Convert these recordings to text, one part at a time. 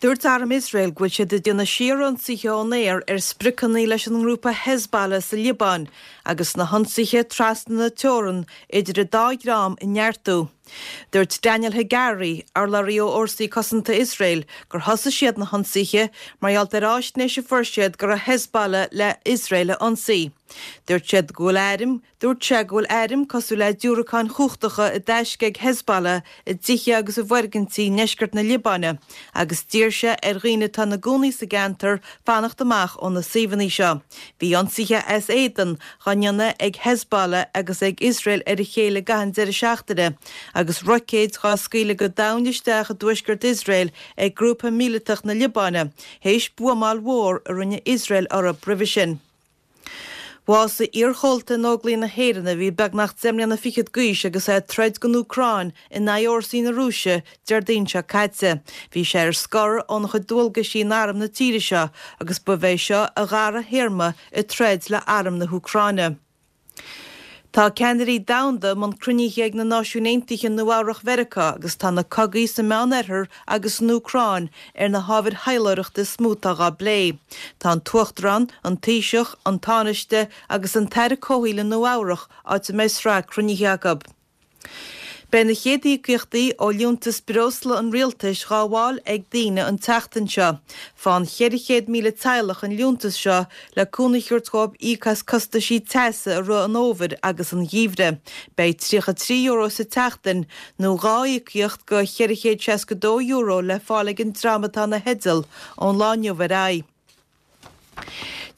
Dúirt Arm Iosrael go bhfuil siad ag déanamh síorionsaithe ón aer ar spriocanna leis an ngrúpa Hezbollah sa Liobáin agus na hionsaithe trasna na teorann idir an dá dhream a neartú. Dúirt Daniel Hagari, urlabhraí ó Fhórsaí Cosanta Iosrael, gur thosaigh siad na hionsaithe mar gheall ar fháisnéis a fuair siad go raibh Hezbollah le Iosrael a ionsaí. Dúirt siad go bhfuil airm Dúirt sé go bhfuil airm cosúil le diúracáin chumhachtacha i dtaisce ag Hezbollah i dtithe agus i bhfoirgintí i ndeisceart na Liobáine agus d'iarr sé ar dhaoine atá ina gcónaí sa gceantar fanacht amach ó na suíomhanna seo. Bhí ionsaithe as éadan dhá ndéanamh ag Hezbollah agus ag Iosrael ar a chéile i gcaitheamh an deireadh seachtaine agus roicéid dhá scaoileadh go domhain isteach i dtuaisceart Iosrael ag grúpa míleatach na Liobáine théis buamáil mhór a rinne Iosrael orthu roimhe sin. Bhásaigh iarchomhalta in Óglaigh na hÉireann a bhí beagnach 10 mbliana fichead d'aois agus é ag troid don Úcráin in aghaidh fhórsaí na Rúise Déardaoin seo caite. Bhí sé ar scor óna chuid dualgaisí in arm na tíre seo agus ba é seo a dhara théarma ag troid le arm na hÚcráine. Tá ceannairí domhanda i mbun cruinnithe ag na Náisiúin Aontaithe i Nua Eabhrach Mheiriceá agus tá na cogaí sa Meán-Oirthear agus san Úcráin ar na hábhair thaidhleoireachta is mó atá dhá bplé. Tá an tUachtarán, an Taoiseach, an Tánaiste agus an tAire Comhshaoil i Nua Eabhrach áit a mbeidh sraith cruinnithe acu. Beidh na chéad íocaíochtaí ó liúntas breosla an rialtais dhá bhfáil ag daoine an tseachtain seo. Faigheann 400,000 teaghlach an liúntas seo le cúnamh a thabhairt dhóibh íoc as costaisí teasa i rith an fhómhair agus an gheimhridh. Beidh €33 sa tseachtain nó 2 íocaíocht de €462 le fáil ag an dream atá ina theideal ón lá inniu ar aghaidh.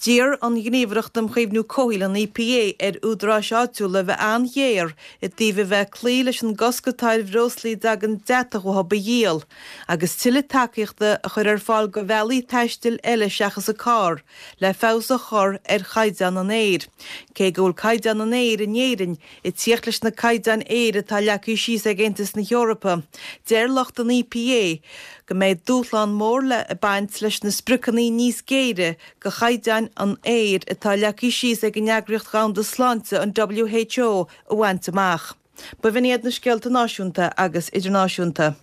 D'iarr an Ghníomhaireacht um Chaomhnú Comhshaoil, an EPA, ar údaráis áitiúla a bheith an-ghéar i dtaobh a bheith ag cloí leis an gcosc atá ar bhreoslaí a dtagann deatach uathu a dhíol, agus tuilleadh tacaíochta a chur ar fáil do bhealaí taistil eile seachas an carr, le feabhas a chur ar chaighdeán an aeir. Cé go bhfuil caighdeán an aeir in Éirinn ag tíocht leis na caighdeáin aeir atá leagtha síos ag Aontas na hEorpa, deir lucht an EPA go mbeidh dúshlán mór le baint leis na spriocanna níos géire do chaighdeáin an aeir atá leagtha síos ag an Eagraíocht Dhomhanda Sláinte, an WHO, a bhaint amach. B'in iad na scéalta náisiúnta agus idirnáisiúnta.